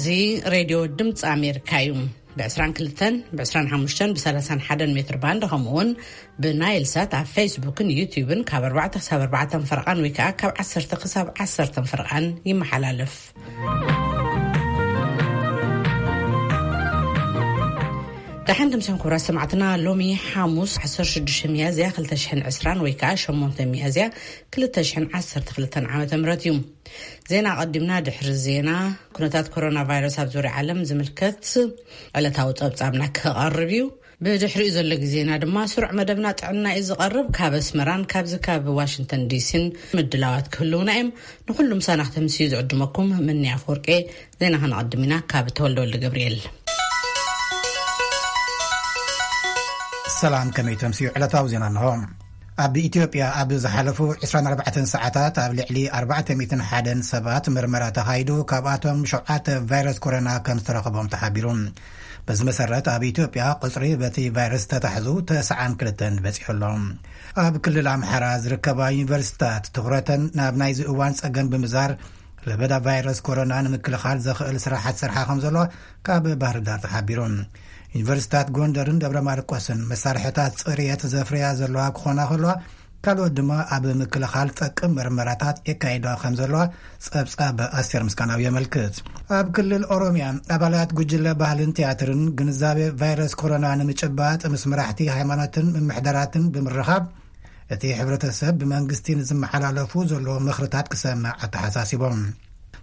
እዚ ሬድዮ ድምፂ ኣሜሪካ እዩ። ብ22፣ ብ25፣ ብ31 ሜትር ባንድ፣ ከምኡ እውን ብናይል ሳት ኣብ ፌስቡክን ዩቲዩብን ካብ ኣርባዕተ ክሳብ ኣርባዕተ ፈረቓን ወይ ከዓ ካብ ዓሰርተ ክሳብ ዓሰርተ ፈረቓን ይመሓላለፍ። ደሓን ትምስን ክቡራት ሰማዕትና፣ ሎሚ ሓሙስ ዓሰርተ ሽዱሽተ ሚያዝያ ክልተ ሽሕን ዕስራን ወይ ከዓ ሸሞንተ ሚያዝያ ክልተ ሽሕን ዓሰርተ ክልተን ዓመተ ምህረት እዩ። ዜና ኣቐዲምና። ድሕሪ ዜና፣ ኩነታት ኮሮና ቫይረስ ኣብ ዙርያ ዓለም ዝምልከት ዕለታዊ ጸብጻብና ክቐርብ እዩ። ብድሕሪኡ ዘሎ ግዜና ድማ ስሩዕ መደብና ጥዕና እዩ ዝቐርብ። ካብ ኣስመራን ካብዚ ካብ ዋሽንግተን ዲሲን ምድላዋት ክህልውና እዮም። ንኹሉ ምሳና ክተምስዩ ዝዕድመኩም ምንያ ኣፈወርቄ። ዜና ከነቐድም ኢና ካብ ተወልደ ወልደ ገብርኤል። ሰላም፣ ከመይ ተምስዩ? ዕለታዊ ዜና እንሆ። ኣብ ኢትዮጵያ ኣብ ዝሓለፉ ዕስራን ኣርባዕተን ሰዓታት ኣብ ልዕሊ ኣርባዕተ ሚእትን ሓደን ሰባት ምርመራ ተኻይዱ፣ ካብኣቶም ሸውዓተ ቫይረስ ኮሮና ከም ዝተረኸቦም ተሓቢሩ። በዚ መሰረት ኣብ ኢትዮጵያ ቁጽሪ በቲ ቫይረስ ተታሕዙ ተስዓን ክልተን በጺሑ ኣሎ። ኣብ ክልል ኣምሓራ ዝርከባ ዩኒቨርሲታት ትኹረተን ናብ ናይዚ እዋን ጸገም ብምዛር ለበዳ ቫይረስ ኮሮና ንምክልኻል ዘኽእል ስራሓት ሰርሓ ከም ዘሎ ካብ ባህር ዳር ተሓቢሩ። ዩኒቨርሲታት ጎንደርን ደብረ ማርቆስን መሳርሕታት ጽርየት ዘፍርያ ዘለዋ ክኾና ከለዋ፣ ካልኦት ድማ ኣብ ምክልኻል ጠቅም መርመራታት የካይዳ ከም ዘለዋ ጸብጻብ ኣስቴር ምስጋናው የመልክት። ኣብ ክልል ኦሮሚያ ኣባላት ጉጅለ ባህልን ቲያትርን ግንዛቤ ቫይረስ ኮሮና ንምጭባጥ ምስ መራሕቲ ሃይማኖትን ምምሕዳራትን ብምርኻብ፣ እቲ ሕብረተሰብ ብመንግስቲ ንዝመሓላለፉ ዘለዉ ምኽርታት ክሰምዕ ኣተሓሳሲቦም።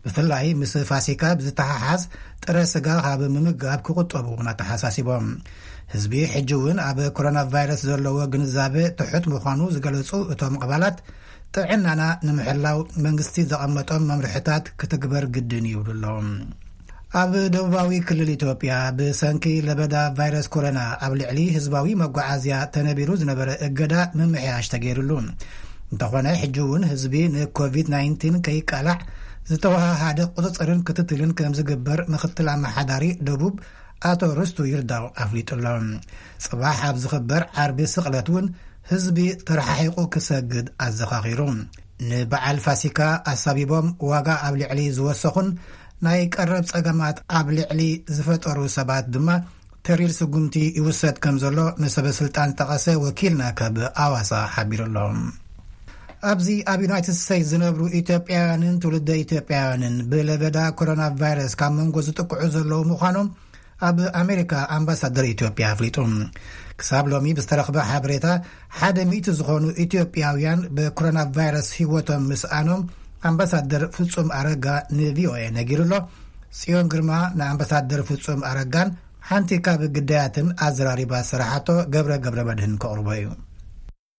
ብፍላይ ምስ ፋሲካ ብዝተሓሓዝ ጥረ ስጋ ካብ ምምጋብ ክቁጠቡ እውን ኣተሓሳሲቦም። ህዝቢ ሕጂ እውን ኣብ ኮሮና ቫይረስ ዘለዎ ግንዛቤ ትሑት ምዃኑ ዝገለጹ እቶም ኣባላት፣ ጥዕናና ንምሕላው መንግስቲ ዘቐመጦም መምርሕታት ክትግበር ግድን ይብሉ ኣለዉ። ኣብ ደቡባዊ ክልል ኢትዮጵያ ብሰንኪ ለበዳ ቫይረስ ኮሮና ኣብ ልዕሊ ህዝባዊ መጓዓዝያ ተነቢሩ ዝነበረ እገዳ ምምሕያሽ ተገይሩሉ። እንተኾነ ሕጂ እውን ህዝቢ ንኮቪድ ናይንቲን ከይቃላዕ ዝተወሃሃደ ቁፅፅርን ክትትልን ከም ዝግበር ምክትል ኣመሓዳሪ ደቡብ ኣቶ ርስቱ ይርዳው ኣፍሊጡ ኣሎ። ጽባሕ ኣብ ዝኽበር ዓርቢ ስቕለት እውን ህዝቢ ተረሓሒቑ ክሰግድ ኣዘኻኺሩ። ንበዓል ፋሲካ ኣሳቢቦም ዋጋ ኣብ ልዕሊ ዝወሰኹን ናይ ቀረብ ጸገማት ኣብ ልዕሊ ዝፈጠሩ ሰባት ድማ ተሪር ስጉምቲ ይውሰድ ከም ዘሎ ንሰበ ስልጣን ዝጠቐሰ ወኪልና ካብ ኣዋሳ ሓቢሩ ኣሎ። ኣብዚ ኣብ ዩናይትድ ስቴትስ ዝነብሩ ኢትዮጵያውያንን ትውልደ ኢትዮጵያውያንን ብለበዳ ኮሮና ቫይረስ ካብ መንጎ ዝጥቅዑ ዘለዉ ምዃኖም ኣብ ኣሜሪካ ኣምባሳደር ኢትዮጵያ ኣፍሊጡ። ክሳብ ሎሚ ብዝተረኽበ ሓበሬታ ሓደ ሚእቲ ዝኾኑ ኢትዮጵያውያን ብኮሮና ቫይረስ ህይወቶም ምስኣኖም ኣምባሳደር ፍጹም ኣረጋ ንቪኦኤ ነጊሩ ኣሎ። ጽዮን ግርማ ንኣምባሳደር ፍጹም ኣረጋን ሓንቲ ካብ ግዳያትን ኣዘራሪባ ዝሰራሓቶ ገብረ ገብረ መድህን ከቕርቦ እዩ።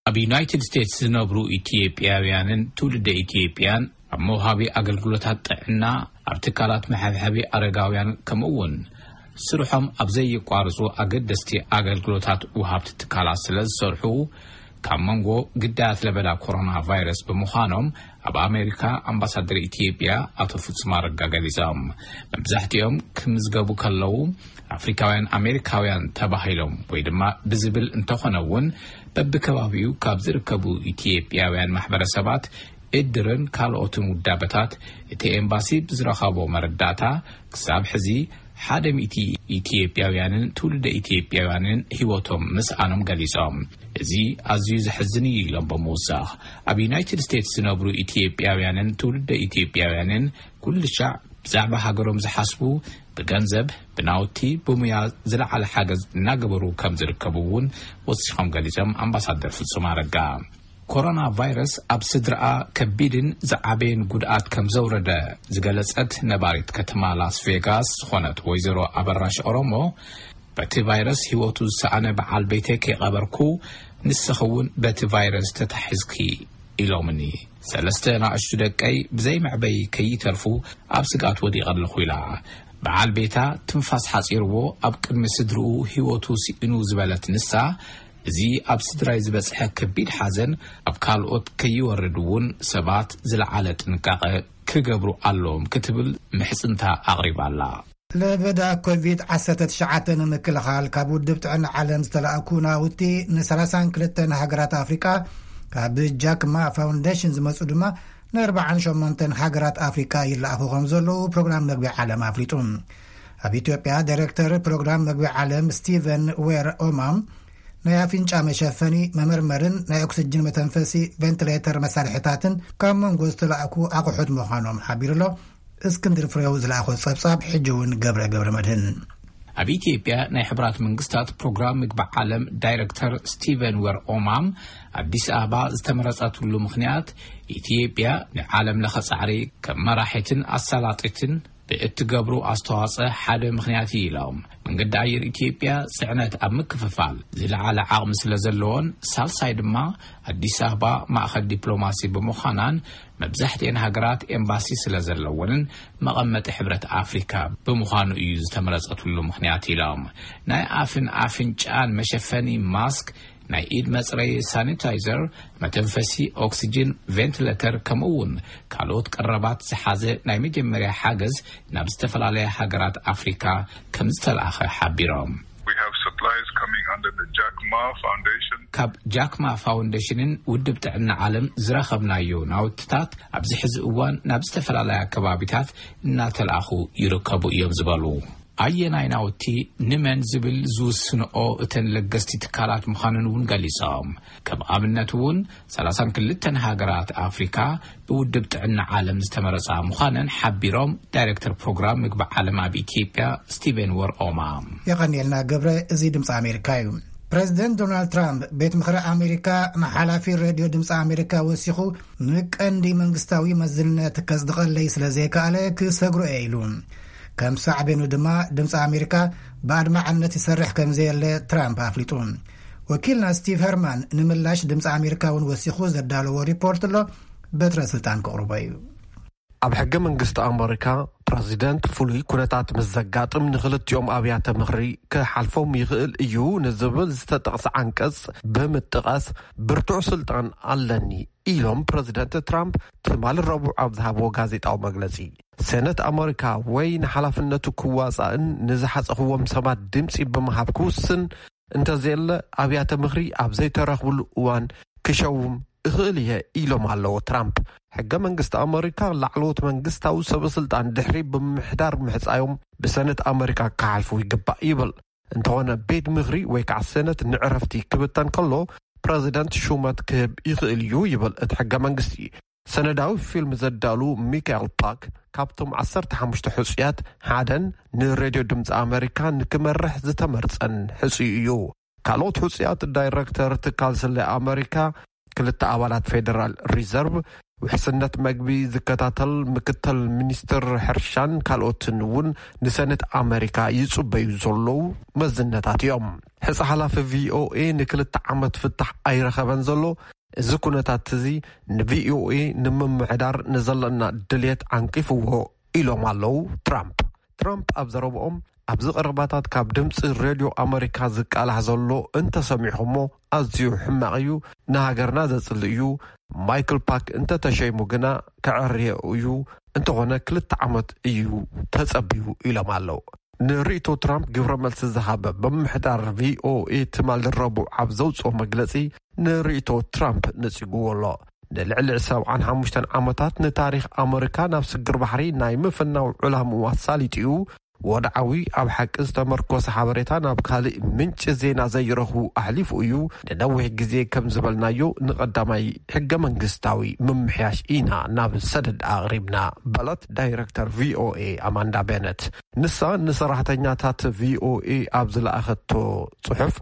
ኣብ ዩናይትድ ስቴትስ ዝነብሩ ኢትዮጵያውያንን ትውልደ ኢትዮጵያን ኣብ መውሃቢ ኣገልግሎታት ጥዕና፣ ኣብ ትካላት መሐብሐቢ ኣረጋውያን፣ ከምኡ እውን ስርሖም ኣብ ዘየቋርጹ ኣገደስቲ ኣገልግሎታት ወሃብቲ ትካላት ስለ ዝሰርሑ፣ ካብ መንጎ ግዳያት ለበዳ ኮሮና ቫይረስ ብምዃኖም ኣብ ኣሜሪካ ኣምባሳደር ኢትዮጵያ ኣቶ ፍጹም ኣረጋ ገሊጾም። መብዛሕትኦም ክምዝገቡ ከለዉ ኣፍሪካውያን ኣሜሪካውያን ተባሂሎም ወይ ድማ ብዝብል እንተኾነ እውን፣ በብከባቢኡ ካብ ዝርከቡ ኢትዮጵያውያን ማሕበረሰባት እድርን ካልኦትን ውዳበታት እቲ ኤምባሲ ብዝረኸቦ መረዳእታ፣ ክሳብ ሕዚ ሓደ ሚእቲ ኢትዮጵያውያንን ትውልደ ኢትዮጵያውያንን ህይወቶም ምስኣኖም ገሊጾም። እዚ ኣዝዩ ዘሕዝን እዩ ኢሎም ብምውሳኽ፣ ኣብ ዩናይትድ ስቴትስ ዝነብሩ ኢትዮጵያውያንን ትውልደ ኢትዮጵያውያንን ኩሉ ሻዕ ብዛዕባ ሃገሮም ዝሓስቡ፣ ብገንዘብ፣ ብናውቲ፣ ብሙያ ዝለዓለ ሓገዝ እናገበሩ ከም ዝርከቡ እውን ወሲኾም ገሊጾም ኣምባሳደር ፍጹም ኣረጋ። ኮሮና ቫይረስ ኣብ ስድራኣ ከቢድን ዝዓበየን ጉድኣት ከም ዘውረደ ዝገለጸት ነባሪት ከተማ ላስ ቬጋስ ዝኾነት ወይዘሮ ኣበራሽ ኦሮሞ፣ በቲ ቫይረስ ህይወቱ ዝሰኣነ በዓል ቤተይ ከይቐበርኩ፣ ንስኺ እውን በቲ ቫይረስ ተታሒዝኪ ኢሎምኒ። ሰለስተ ናእሽቱ ደቀይ ብዘይ መዕበዪ ከይተርፉ ኣብ ስግኣት ወዲቐ ኣለኹ ኢላ። በዓል ቤታ ትንፋስ ሓጺርዎ ኣብ ቅድሚ ስድርኡ ህይወቱ ስኢኑ ዝበለት ንሳ፣ እዚ ኣብ ስድራይ ዝበጽሐ ከቢድ ሓዘን ኣብ ካልኦት ከይወርድ እውን ሰባት ዝለዓለ ጥንቃቐ ክገብሩ ኣለዎም ክትብል ምሕጽንታ ኣቕሪባ ኣላ። ለበዳ ኮቪድ ዓሰርተ ትሽዓተ ንምክልኻል ካብ ውድብ ጥዕና ዓለም ዝተላእኩ ናውቲ ንሰላሳን ክልተን ሃገራት ኣፍሪቃ፣ ካብ ጃክማ ፋውንዴሽን ዝመጹ ድማ ን ኣርባዓን ሸሞንተን ሃገራት ኣፍሪቃ ይለኣኹ ከም ዘለዉ ፕሮግራም መግቢ ዓለም ኣፍሊጡ። ኣብ ኢትዮጵያ ዳይሬክተር ፕሮግራም መግቢ ዓለም ስቲቨን ዌር ኦማም፣ ናይ ኣፍንጫ መሸፈኒ፣ መመርመርን ናይ ኦክስጅን መተንፈሲ ቬንቲሌተር መሳርሒታትን ካብ መንጎ ዝተላእኩ ኣቑሑት ምዃኖም ሓቢሩ ኣሎ። እስክንድር ፍሬው ዝለኣኾ ጸብጻብ ሕጂ እውን ገብረ ገብረ መድህን። ኣብ ኢትዮጵያ ናይ ሕብራት መንግስታት ፕሮግራም ምግቢ ዓለም ዳይሬክተር ስቲቨን ዌር ኦማም፣ ኣዲስ ኣበባ ዝተመረጸትሉ ምኽንያት፣ ኢትዮጵያ ንዓለም ለኸ ጻዕሪ ከም መራሒትን ኣሳላጢትን ብእትገብሩ ኣስተዋጽኦ ሓደ ምኽንያት እዩ ኢሎም። መንገዲ ኣየር ኢትዮጵያ ጽዕነት ኣብ ምክፍፋል ዝለዓለ ዓቕሚ ስለ ዘለዎን፣ ሳልሳይ ድማ ኣዲስ ኣበባ ማእኸል ዲፕሎማሲ ብምዃናን፣ መብዛሕትኤን ሃገራት ኤምባሲ ስለ ዘለወንን፣ መቐመጢ ሕብረት ኣፍሪካ ብምዃኑ እዩ ዝተመረጸትሉ ምኽንያት ኢሎም። ናይ ኣፍን ኣፍንጫን መሸፈኒ ማስክ፣ ናይ ኢድ መጽረይ ሳኒታይዘር፣ መተንፈሲ ኦክሲጅን ቬንቲሌተር፣ ከምኡ እውን ካልኦት ቀረባት ዝሓዘ ናይ መጀመርያ ሓገዝ ናብ ዝተፈላለያ ሃገራት ኣፍሪካ ከም ዝተላእኸ ሓቢሮም። We have supplies coming under the Jack Ma Foundation. ካብ ጃክማ ፋውንዴሽንን ውድብ ጥዕና ዓለም ዝረኸብናዮ ናውትታት ኣብዚ ሕዚ እዋን ናብ ዝተፈላለያ ከባቢታት እናተላእኹ ይርከቡ እዮም ዝበሉ። ኣየናይ ናውቲ ንመን ዝብል ዝውስንኦ እተን ለገስቲ ትካላት ምዃነን እውን ገሊጾም። ከም ኣብነት እውን ሰላሳን ክልተን ሃገራት ኣፍሪካ ብውድብ ጥዕና ዓለም ዝተመረጻ ምዃነን ሓቢሮም። ዳይሬክተር ፕሮግራም ምግቢ ዓለም ኣብ ኢትዮጵያ ስቲቨን ወርኦማ። የቐንየልና ገብረ። እዚ ድምፂ ኣሜሪካ እዩ። ፕሬዚደንት ዶናልድ ትራምፕ ቤት ምኽሪ ኣሜሪካ ንሓላፊ ሬድዮ ድምፂ ኣሜሪካ ወሲኹ፣ ንቀንዲ መንግስታዊ መዝነት ከጽድቐለይ ስለ ዘይከኣለ ክሰግሮ እየ ኢሉ። ከም ሳዕቤኑ ድማ ድምፂ ኣሜሪካ ብኣድማዕነት ይሰርሕ ከም ዘየለ ትራምፕ ኣፍሊጡ። ወኪልና ስቲቭ ሄርማን ንምላሽ ድምፂ ኣሜሪካ እውን ወሲኹ ዘዳለዎ ሪፖርት ኣሎ። በትረ ስልጣን ክቕርቦ እዩ። ኣብ ሕገ መንግስቲ ኣመሪካ ፕረዚደንት ፍሉይ ኩነታት ምስ ዘጋጥም ንኽልቲኦም ኣብያተ ምኽሪ ክሓልፎም ይኽእል እዩ ንዝብል ዝተጠቕሰ ዓንቀጽ ብምጥቓስ ብርቱዕ ስልጣን ኣለኒ ኢሎም ፕረዚደንት ትራምፕ ትማሊ ረቡዕ ኣብ ዝሃብዎ ጋዜጣዊ መግለጺ። ሴነት ኣመሪካ ወይ ንሓላፍነቱ ክዋጻእን ንዝሓጸኽዎም ሰባት ድምጺ ብምሃብ ክውስን እንተዘየለ ኣብያተ ምኽሪ ኣብ ዘይተረኽብሉ እዋን ክሸውም እኽእል እየ ኢሎም ኣለዉ ትራምፕ። ሕገ መንግስቲ ኣመሪካ ላዕለዎት መንግስታዊ ሰበ ስልጣን ድሕሪ ብምምሕዳር ምሕጻዮም ብሰነት ኣመሪካ ክሓልፉ ይግባእ ይብል። እንተኾነ ቤት ምኽሪ ወይ ከዓ ሰነት ንዕረፍቲ ክብተን ከሎ ፕረዚደንት ሹመት ክህብ ይኽእል እዩ ይብል እቲ ሕገ መንግስቲ። ሰነዳዊ ፊልም ዘዳሉ ሚካኤል ፓክ ካብቶም ዓሰርተ ሓሙሽተ ሕጹያት ሓደን ንሬድዮ ድምፂ ኣመሪካ ንክመርሕ ዝተመርጸን ሕጹይ እዩ። ካልኦት ሕጹያት ዳይረክተር ትካል ስለ ኣመሪካ፣ ክልተ ኣባላት ፌደራል ሪዘርቭ፣ ውሕስነት መግቢ ዝከታተል ምክትል ሚኒስትር ሕርሻን ካልኦትን እውን ንሰነት ኣመሪካ ይጽበዩ ዘለዉ መዝነታት እዮም። ሕጻ ሓላፊ ቪኦኤ ንክልተ ዓመት ፍታሕ ኣይረኸበን ዘሎ። እዚ ኩነታት እዚ ንቪኦኤ ንምምሕዳር ንዘለና ድልየት ዓንቂፍዎ ኢሎም ኣለዉ ትራምፕ። ትራምፕ ኣብ ዘረብኦም፣ ኣብዚ ቀረባታት ካብ ድምፂ ሬድዮ ኣመሪካ ዝቃላሕ ዘሎ እንተሰሚዕኹሞ ኣዝዩ ሕማቕ እዩ፣ ንሃገርና ዘፅልእ እዩ። ማይክል ፓክ እንተተሸይሙ ግና ከዕርዮ እዩ፣ እንተኾነ ክልተ ዓመት እዩ ተፀቢዩ ኢሎም ኣለዉ። ንርእይቶ ትራምፕ ግብረ መልሲ ዝሃበ ብምምሕዳር ቪኦኤ ትማሊ ረቡዕ ኣብ ዘውፅኦ መግለፂ ንርእይቶ ትራምፕ ነፂግዎ ኣሎ። ንልዕሊ ሰብዓን ሓሙሽተን ዓመታት ንታሪኽ ኣመሪካ ናብ ስግር ባሕሪ ናይ ምፍናው ዕላምኡ ኣሳሊጡ እዩ። ወድዓዊ ኣብ ሓቂ ዝተመርኮሰ ሓበሬታ ናብ ካልእ ምንጪ ዜና ዘይረኽቡ ኣሕሊፉ እዩ። ንነዊሕ ግዜ ከም ዝበልናዮ ንቐዳማይ ሕገ መንግስታዊ ምምሕያሽ ኢና ናብ ሰደድ ኣቕሪብና በለት ዳይረክተር ቪኦኤ ኣማንዳ ቤነት። ንሳ ንሰራሕተኛታት ቪኦኤ ኣብ ዝለኣኸቶ ጽሑፍ፣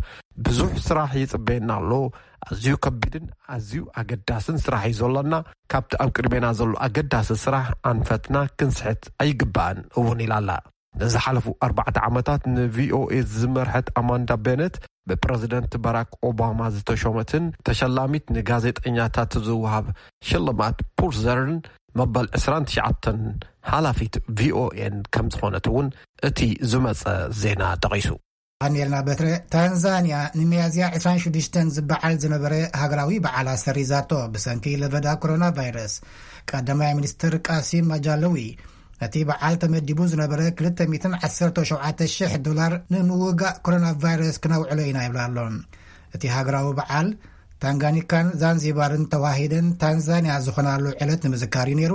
ብዙሕ ስራሕ ይጽበየና ኣሎ። ኣዝዩ ከቢድን ኣዝዩ ኣገዳስን ስራሕ እዩ ዘሎና። ካብቲ ኣብ ቅድሜና ዘሎ ኣገዳሲ ስራሕ ኣንፈትና ክንስሕት ኣይግባእን እውን ኢላ ኣላ። ንዝሓለፉ ኣርባዕተ ዓመታት ንቪኦኤ ዝመርሐት ኣማንዳ ቤነት ብፕረዚደንት ባራክ ኦባማ ዝተሾመትን ተሸላሚት ንጋዜጠኛታት ዝወሃብ ሽልማት ፑልዘርን መበል ዕስራን ትሽዓተን ሓላፊት ቪኦኤን ከም ዝኾነት እውን እቲ ዝመጸ ዜና ጠቒሱ። ኣኔልና በትረ። ታንዛንያ ንሚያዝያ ዕስራን ሽዱሽተን ዝበዓል ዝነበረ ሃገራዊ በዓል ኣሰሪዛቶ ብሰንኪ ለበዳ ኮሮና ቫይረስ። ቀዳማይ ሚኒስትር ቃሲም ማጃለዊ፣ ነቲ በዓል ተመዲቡ ዝነበረ ክልተ ሚእትን ዓሰርተ ሸውዓተ ሽሕ ዶላር ንምውጋእ ኮሮና ቫይረስ ክነውዕሎ ኢና ይብል ኣሎ። እቲ ሃገራዊ በዓል ታንጋኒካን ዛንዚባርን ተዋሂደን ታንዛንያ ዝኾናሉ ዕለት ንምዝካር እዩ ነይሩ።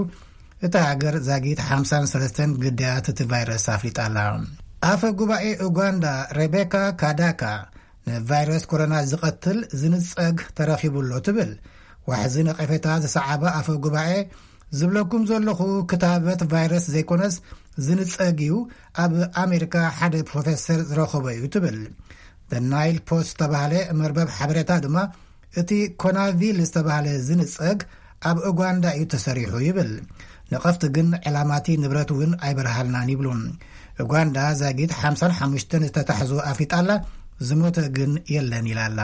እታ ሃገር ዛጊት ሓምሳን ሰለስተን ግዳያት እቲ ቫይረስ ኣፍሊጣ ኣላ። ኣፈ ጉባኤ ኡጋንዳ ሬቤካ ካዳካ፣ ንቫይረስ ኮሮና ዝቐትል ዝንጸግ ተረኺቡ ኣሎ ትብል። ዋሕዚ ነቐፌታ ዝሰዓበ ኣፈ ጉባኤ፣ ዝብለኩም ዘለኹ ክታበት ቫይረስ ዘይኮነስ ዝንጸግ እዩ፣ ኣብ ኣሜሪካ ሓደ ፕሮፌሰር ዝረኸቦ እዩ ትብል። The Nile Post ዝተባህለ መርበብ ሓበሬታ ድማ፣ እቲ ኮናቪል ዝተባህለ ዝንጸግ ኣብ ኡጋንዳ እዩ ተሰሪሑ ይብል። ነቐፍቲ ግን ዕላማቲ ንብረት እውን ኣይበርሃልናን ይብሉ። ኡጋንዳ ዛጊት ሓምሳን ሓሙሽተን ዝተታሕዙ ኣፍሊጣ ኣላ፣ ዝሞተ ግን የለን ኢላ ኣላ።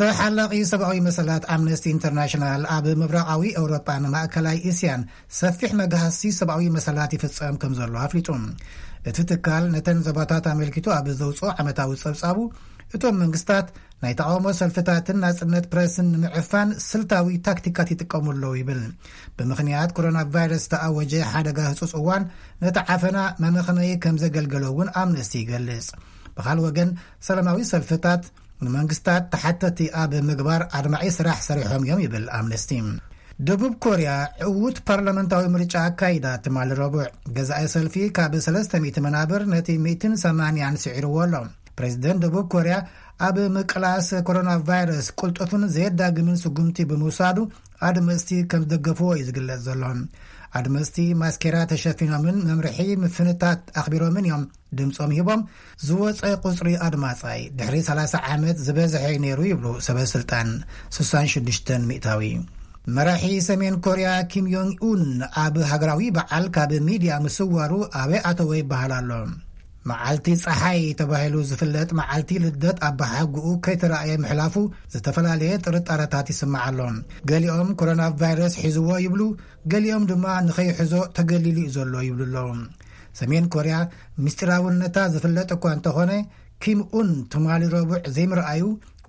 ተሓላቒ ሰብኣዊ መሰላት ኣምነስቲ ኢንተርናሽናል ኣብ ምብራቓዊ ኤውሮጳን ማእከላይ እስያን ሰፊሕ መግሃሲ ሰብኣዊ መሰላት ይፍጸም ከም ዘሎ ኣፍሊጡ። እቲ ትካል ነተን ዞባታት ኣመልኪቱ ኣብ ዘውፅኦ ዓመታዊ ጸብጻቡ፣ እቶም መንግስታት ናይ ተቓውሞ ሰልፍታትን ናጽነት ፕረስን ንምዕፋን ስልታዊ ታክቲካት ይጥቀሙ ኣለዉ ይብል። ብምኽንያት ኮሮና ቫይረስ ዝተኣወጀ ሓደጋ ህጹጽ እዋን ነቲ ዓፈና መመኽነዪ ከም ዘገልገሎ እውን ኣምነስቲ ይገልጽ። ብኻል ወገን፣ ሰላማዊ ሰልፍታት ንመንግስታት ተሓተቲ ኣብ ምግባር ኣድማዒ ስራሕ ሰሪሖም እዮም ይብል ኣምነስቲ። ደቡብ ኮርያ ዕዉት ፓርላመንታዊ ምርጫ ኣካይዳ ትማሊ ረቡዕ። ገዛኢ ሰልፊ ካብ ሰለስተ ሚእቲ መናብር ነቲ ሚእትን ሰማንያን ስዒርዎ ኣሎ። ፕሬዚደንት ደቡብ ኮርያ ኣብ ምቅላስ ኮሮና ቫይረስ ቅልጡፍን ዘየዳግምን ስጉምቲ ብምውሳዱ ኣድመፅቲ ከም ዝደገፍዎ እዩ ዝግለጽ ዘሎ። ኣድመፅቲ ማስኬራ ተሸፊኖምን መምርሒ ምፍንታት ኣኽቢሮምን እዮም ድምጾም ሂቦም። ዝወጸ ቁጽሪ ኣድማጻይ ድሕሪ ሰላሳ ዓመት ዝበዝሐ እዩ ነይሩ ይብሉ ሰበ ስልጣን፣ ስሳን ሽዱሽተን ሚእታዊ። መራሒ ሰሜን ኮርያ ኪም ዮንግ ኡን ኣብ ሃገራዊ በዓል ካብ ሚድያ ምስዋሩ ኣበይ ኣተወ ይበሃል ኣሎ። መዓልቲ ጸሓይ ተባሂሉ ዝፍለጥ መዓልቲ ልደት ኣባሓጉኡ ከይተራእየ ምሕላፉ ዝተፈላለየ ጥርጣረታት ይስማዕ ኣሎ። ገሊኦም ኮሮና ቫይረስ ሒዝዎ ይብሉ፣ ገሊኦም ድማ ንኸይሕዞ ተገሊሉ እዩ ዘሎ ይብሉ ኣለዉ። ሰሜን ኮርያ ምስጢራውነታ ዝፍለጥ እኳ እንተኾነ፣ ኪም ኡን ትማሊ ረቡዕ ዘይምርኣዩ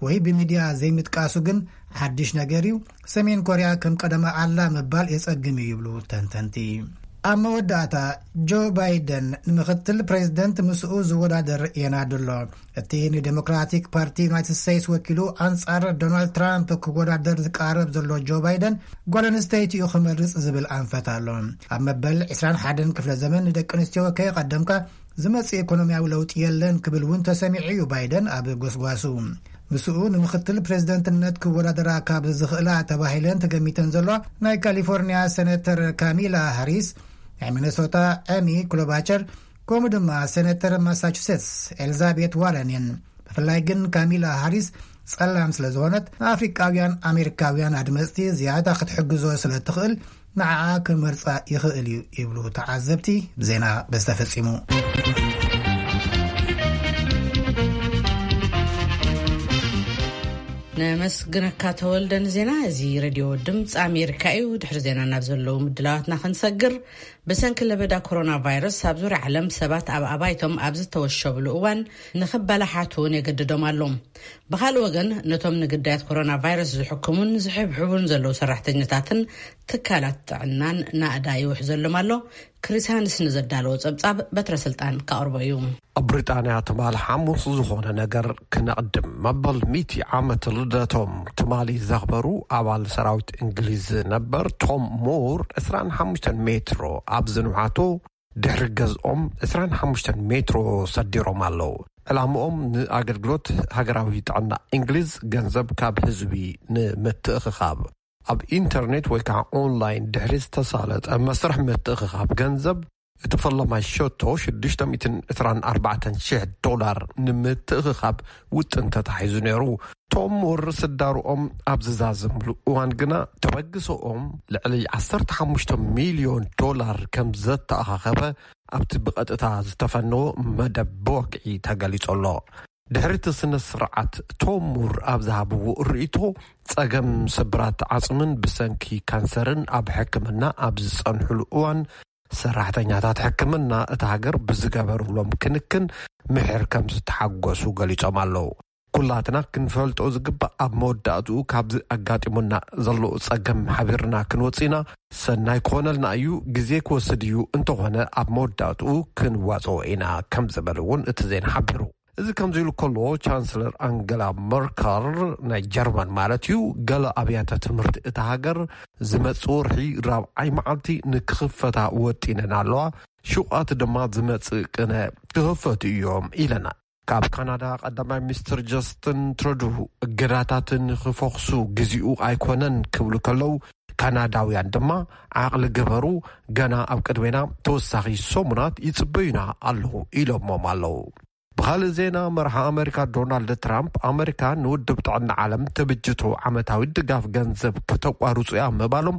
ወይ ብሚድያ ዘይምጥቃሱ ግን ሓድሽ ነገር እዩ። ሰሜን ኮርያ ከም ቀደማ ኣላ ምባል የጸግም እዩ ይብሉ ተንተንቲ። ኣብ መወዳእታ፣ ጆ ባይደን ንምኽትል ፕሬዚደንት ምስኡ ዝወዳደር የናዱ ኣሎ። እቲ ንዴሞክራቲክ ፓርቲ ዩናይትድ ስቴትስ ወኪሉ ኣንጻር ዶናልድ ትራምፕ ክወዳደር ዝቃረብ ዘሎ ጆ ባይደን፣ ጓል ኣንስተይቲ እዩ ክመርጽ ዝብል ኣንፈት ኣሎ። ኣብ መበል ዕስራን ሓደን ክፍለ ዘመን ንደቂ ኣንስትዮ ከየቐደምካ ዝመጽእ ኢኮኖሚያዊ ለውጢ የለን ክብል እውን ተሰሚዑ እዩ ባይደን ኣብ ጎስጓሱ። ምስኡ ንምኽትል ፕሬዝደንትነት ክወዳደራ ካብ ዝኽእላ ተባሂለን ተገሚተን ዘሎ ናይ ካሊፎርኒያ ሴኔተር ካሚላ ሃሪስ፣ ናይ ሚነሶታ ኤሚ ክሎባቸር፣ ከምኡ ድማ ሴኔተር ማሳቹሴትስ ኤልዛቤት ዋረን እየን። ብፍላይ ግን ካሚላ ሃሪስ ጸላም ስለ ዝኾነት፣ ንኣፍሪቃውያን ኣሜሪካውያን ኣድመጽቲ ዝያዳ ክትሕግዞ ስለ ትኽእል፣ ንዓኣ ክመርጻ ይኽእል እዩ ይብሉ ተዓዘብቲ። ዜና በዚ ተፈጺሙ። ነመስግነካ ተወልደ ንዜና። እዚ ሬድዮ ድምፂ ኣሜሪካ እዩ። ድሕሪ ዜና ናብ ዘለዉ ምድላዋትና ክንሰግር፣ ብሰንኪ ለበዳ ኮሮና ቫይረስ ኣብ ዙርያ ዓለም ሰባት ኣብ ኣባይቶም ኣብ ዝተወሸብሉ እዋን ንኽበላሓቱ እውን የገድዶም ኣሎ። ብኻልእ ወገን፣ ነቶም ንግዳያት ኮሮና ቫይረስ ዝሕክሙን ዝሕብሕቡን ዘለዉ ሰራሕተኛታትን ትካላት ጥዕናን ናእዳ ይውሕዘሎም ኣሎ። ክሪስ ሃንስ ንዘዳለዎ ጸብጻብ በትረ ስልጣን ከቕርቦ እዩ። ኣብ ብሪጣንያ ትማሊ ሓሙስ ዝኾነ ነገር ክነቕድም። መበል ሚእቲ ዓመት ልደቶም ትማሊ ዘኽበሩ ኣባል ሰራዊት እንግሊዝ ነበር ቶም ሙር፣ ዕስራን ሓሙሽተን ሜትሮ ኣብ ዝንውሓቱ ድሕሪ ገዝኦም ዕስራን ሓሙሽተን ሜትሮ ሰዲሮም ኣለዉ። ዕላምኦም ንኣገልግሎት ሃገራዊ ጥዕና እንግሊዝ ገንዘብ ካብ ህዝቢ ንምትእኽኻብ፣ ኣብ ኢንተርኔት ወይ ከዓ ኦንላይን ድሕሪ ዝተሳለጠ መስርሕ ምትእኽኻብ ገንዘብ፣ እቲ ፈላማይ ሸቶ ሽዱሽተ ሚእትን ዕስራን ኣርባዕተን ሽሕ ዶላር ንምትእኽኻብ ውጥን ተታሒዙ ነይሩ። ቶም ሙር ስዳርኦም ኣብ ዝዛዘምሉ እዋን ግና፣ ተበግሶኦም ልዕሊ ዓሰርተ ሓሙሽተ ሚልዮን ዶላር ከም ዘተኣኻኸበ ኣብቲ ብቐጥታ ዝተፈነወ መደብ ብወግዒ ተገሊጹ ኣሎ። ድሕሪ እቲ ስነ ስርዓት፣ ቶም ሙር ኣብ ዝሃብዎ ርእይቶ፣ ጸገም ስብራት ዓጽምን ብሰንኪ ካንሰርን ኣብ ሕክምና ኣብ ዝጸንሕሉ እዋን፣ ሰራሕተኛታት ሕክምና እታ ሃገር ብዝገበሩሎም ክንክን ምሕር ከም ዝተሓጎሱ ገሊጾም ኣለዉ። ኩላትና ክንፈልጦ ዝግባእ፣ ኣብ መወዳእትኡ ካብዚ ኣጋጢሙና ዘሎ ጸገም ሓቢርና ክንወጽእ ኢና። ሰናይ ክኾነልና እዩ፣ ግዜ ክወስድ እዩ፣ እንተኾነ ኣብ መወዳእትኡ ክንዋጽኦ ኢና ከም ዝበሉ እውን እቲ ዜና ሓቢሩ። እዚ ከምዚ ኢሉ ከሎ፣ ቻንስለር ኣንገላ መርከል ናይ ጀርመን ማለት እዩ፣ ገለ ኣብያተ ትምህርቲ እታ ሃገር ዝመጽእ ወርሒ ራብዓይ መዓልቲ ንክኽፈታ ወጢነን ኣለዋ። ሹቓት ድማ ዝመጽእ ቅነ ክኽፈቱ እዮም ኢለና። ካብ ካናዳ ቀዳማይ ሚኒስትር ጀስትን ትሩዱ እገዳታት ንክፈኽሱ ግዜኡ ኣይኮነን ክብሉ ከለዉ፣ ካናዳውያን ድማ ዓቕሊ ግበሩ፣ ገና ኣብ ቅድሜና ተወሳኺ ሰሙናት ይጽበዩና ኣለዉ ኢሎሞም ኣለዉ። ብኻልእ ዜና፣ መርሓ ኣመሪካ ዶናልድ ትራምፕ ኣመሪካ ንውድብ ጥዕና ዓለም ትብጅቶ ዓመታዊ ድጋፍ ገንዘብ ክተቋርጹ እያ ምባሎም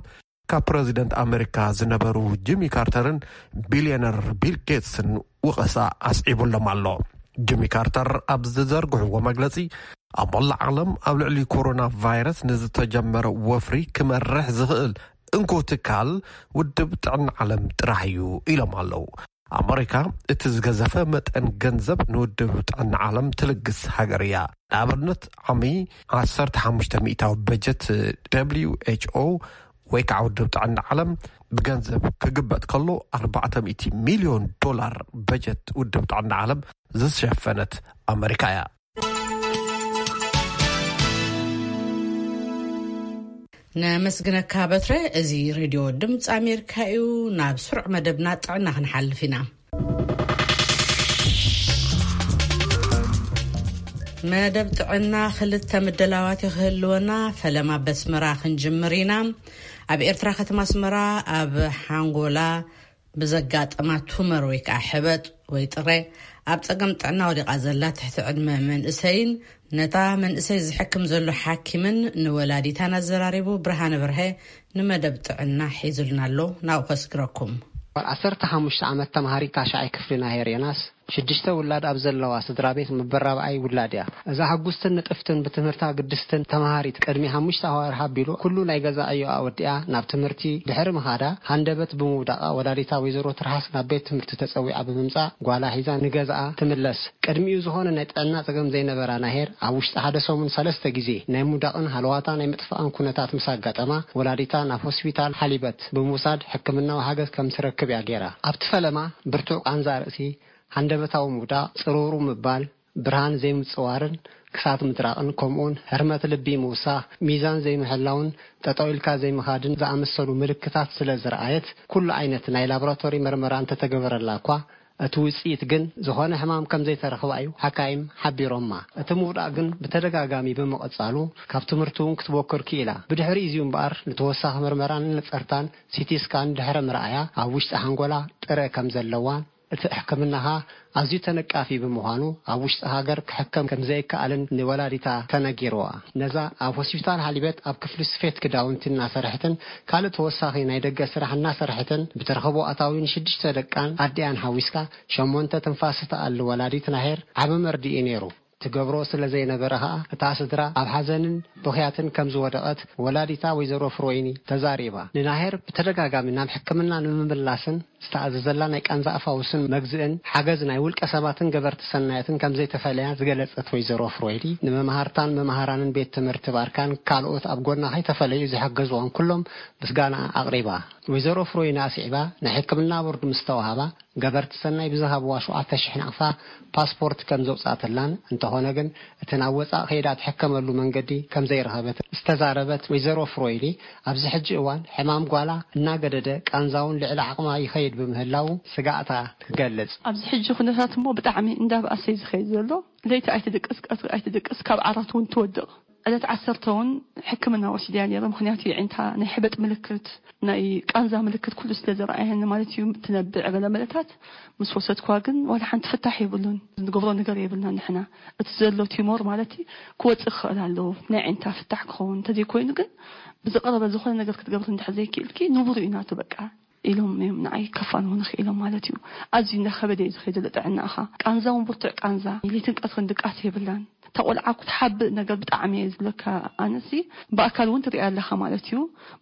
ካብ ፕረዚደንት ኣመሪካ ዝነበሩ ጂሚ ካርተርን ቢልዮነር ቢል ጌትስን ወቐሳ ኣስዒቡሎም ኣሎ። ጂሚ ካርተር ኣብ ዝዘርግሕዎ መግለጺ፣ ኣብ መላእ ዓለም ኣብ ልዕሊ ኮሮና ቫይረስ ንዝተጀመረ ወፍሪ ክመርሕ ዝኽእል እንኮ ትካል ውድብ ጥዕና ዓለም ጥራሕ እዩ ኢሎም ኣለዉ። ኣመሪካ እቲ ዝገዘፈ መጠን ገንዘብ ንውድብ ጥዕና ዓለም ትልግስ ሃገር እያ። ንኣብነት ዓሚ ዓሰርተ ሓሙሽተ ሚእታዊ በጀት ደብሊው ኤች ኦ ወይ ከዓ ውድብ ጥዕና ዓለም ብገንዘብ ክግበጥ ከሎ ኣርባዕተ ሚእቲ ሚልዮን ዶላር በጀት ውድብ ጥዕና ዓለም ዝሸፈነት ኣመሪካ እያ። ነመስግነካ በትረ። እዚ ሬድዮ ድምፂ ኣሜሪካ እዩ። ናብ ስሩዕ መደብና ጥዕና ክንሓልፍ ኢና። መደብ ጥዕና ክልተ ምድላዋት ክህልወና፣ ፈለማ በስመራ ክንጅምር ኢና። ኣብ ኤርትራ ከተማ ኣስመራ ኣብ ሓንጎላ ብዘጋጠማ ቱመር ወይ ከዓ ሕበጥ ወይ ጥረ ኣብ ጸገም ጥዕና ወዲቓ ዘላ ትሕቲ ዕድመ መንእሰይን ነታ መንእሰይ ዝሕክም ዘሎ ሓኪምን ንወላዲታን ኣዘራሪቡ። ብርሃነ በርሀ ንመደብ ጥዕና ሒዙልና ኣሎ፣ ናብኡ ከስግረኩም። ጓል ዓሰርተ ሓሙሽተ ዓመት ተምሃሪት ታሽዓይ ክፍሊ ናሄር ዮናስ፣ ሽዱሽተ ውላድ ኣብ ዘለዋ ስድራ ቤት መበል ራብዓይ ውላድ እያ። እዛ ሕጉስትን ንጥፍትን ብትምህርታ ግድስትን ተምሃሪት፣ ቅድሚ ሓሙሽተ ኣዋርሕ ኣቢሉ ኩሉ ናይ ገዛ ዕዮኣ ወዲኣ ናብ ትምህርቲ ድሕሪ ምኻዳ፣ ሃንደበት ብምውዳቓ ወላዲታ ወይዘሮ ትርሃስ ናብ ቤት ትምህርቲ ተጸዊዓ ብምምጻእ፣ ጓላ ሒዛ ንገዛኣ ትምለስ። ቅድሚኡ ዝኾነ ናይ ጥዕና ጸገም ዘይነበራ ናሄር፣ ኣብ ውሽጢ ሓደ ሰሙን ሰለስተ ግዜ ናይ ምውዳቕን ሃለዋታ ናይ ምጥፋእን ኩነታት ምስ ኣጋጠማ፣ ወላዲታ ናብ ሆስፒታል ሓሊበት ብምውሳድ ሕክምናዊ ሓገዝ ከም ትረክብ እያ ገይራ። ኣብቲ ፈለማ ብርቱዕ ቃንዛ ርእሲ፣ ሃንደበታዊ ምውዳቕ፣ ጽሩሩ ምባል፣ ብርሃን ዘይምጽዋርን ክሳት ምድራቕን፣ ከምኡውን ህርመት ልቢ ምውሳኽ፣ ሚዛን ዘይምሕላውን ጠጠው ኢልካ ዘይምኻድን ዝኣመሰሉ ምልክታት ስለ ዝረኣየት፣ ኩሉ ዓይነት ናይ ላቦራቶሪ መርመራ እንተተገበረላ እኳ፣ እቲ ውጽኢት ግን ዝኾነ ሕማም ከም ዘይተረኽባ እዩ ሓካይም ሓቢሮማ። እቲ ምውዳቕ ግን ብተደጋጋሚ ብምቕጻሉ፣ ካብ ትምህርቲ እውን ክትቦክር ክኢላ። ብድሕሪ እዚ እምበኣር፣ ንተወሳኺ መርመራን ነጸርታን ሲቲ ስካን ድሕሪ ምርኣያ፣ ኣብ ውሽጢ ሓንጎላ ጥረ ከም ዘለዋን፣ እቲ ሕክምናኻ ኣዝዩ ተነቃፊ ብምዃኑ፣ ኣብ ውሽጢ ሃገር ክሕከም ከም ዘይከኣልን ንወላዲታ ተነጊርዋ። ነዛ ኣብ ሆስፒታል ሓሊበት ኣብ ክፍሊ ስፌት ክዳውንቲ እናሰርሐትን ካልእ ተወሳኺ ናይ ደገ ስራሕ እናሰርሐትን ብትረኽቦ ኣታዊ ንሽዱሽተ ደቃን ኣዲኣን ሓዊስካ ሸሞንተ ትንፋስ እትኣሊ ወላዲት ናሄር ዓቢ መርድእ እዩ ነይሩ። ትገብሮ ስለ ዘይነበረ ኸኣ፣ እታ ስድራ ኣብ ሓዘንን ብኽያትን ከም ዝወደቐት ወላዲታ ወይዘሮ ፍሮይኒ ተዛሪባ። ንናሄር ብተደጋጋሚ ናብ ሕክምና ንምምላስን ዝተኣዘዘላ ናይ ቃንዛ ኣፋውስን መግዝእን ሓገዝ ናይ ውልቀ ሰባትን ገበርቲ ሰናያትን ከም ዘይተፈለያ ዝገለጸት ወይዘሮ ፍሮይኒ፣ ንመምሃርታን መምሃራንን ቤት ትምህርቲ ባርካን ካልኦት ኣብ ጎና ከይተፈለዩ ዝሓገዝዋን ኩሎም ምስጋና ኣቕሪባ። ወይዘሮ ፍሮይኒ ኣስዒባ፣ ናይ ሕክምና ቦርድ ምስ ተዋህባ፣ ገበርቲ ሰናይ ብዝሃብዋ ሸውዓተ ሽሕ ናቕፋ ፓስፖርት ከም ዘውጻእትላን፣ እንተኾነ ግን እቲ ናብ ወጻእ ከይዳ ትሕከመሉ መንገዲ ከም ዘይረኸበት ዝተዛረበት ወይዘሮ ፍሮይሊ፣ ኣብዚ ሕጂ እዋን ሕማም ጓላ እናገደደ፣ ቃንዛውን ልዕሊ ዓቕማ ይኸይድ ብምህላው ስጋእታ ትገልጽ። ኣብዚ ሕጂ ኩነታት እሞ ብጣዕሚ እንዳብኣሰ እዩ ዝኸይድ ዘሎ። ለይቲ ኣይትድቅስ፣ ቀትሪ ኣይትድቅስ፣ ካብ ዓራት እውን ትወድቕ። ዕለት ዓሰርተ እውን ሕክምና ወሲድያ ነይረ፣ ምኽንያቱ የዒንታ ናይ ሕበጥ ምልክት፣ ናይ ቃንዛ ምልክት ኩሉ ስለ ዘረኣየኒ ማለት እዩ። ትነብዕ ገለ መለታት ምስ ወሰድኳ ግን ዋላ ሓንቲ ፍታሕ የብሉን። ንገብሮ ነገር የብልና ንሕና። እቲ ዘሎ ቲሞር ማለት ክወጽእ ክኽእል ኣለዎ። ናይ ዒንታ ፍታሕ ክኸውን እንተዘይኮይኑ ግን ብዝቐረበ ዝኾነ ነገር ክትገብሪ እንድሕር ዘይክኢልኪ ንቡር እዩ ናቱ በቃ ኢሎም እዮም ንዓይ ከፋንዉኒ ክኢሎም ማለት እዩ። ኣዝዩ እናኸበደ እዩ ዝኸይድ ዘሎ ጥዕናኻ። ቃንዛ እውን ብርቱዕ ቃንዛ፣ ለይትን ቀትርን ድቃስ የብላን። እታ ቆልዓ ክትሓብእ ነገር ብጣዕሚ እየ ዝብለካ። ኣነሲ ብኣካል እውን ትሪኣ ኣለኻ ማለት እዩ።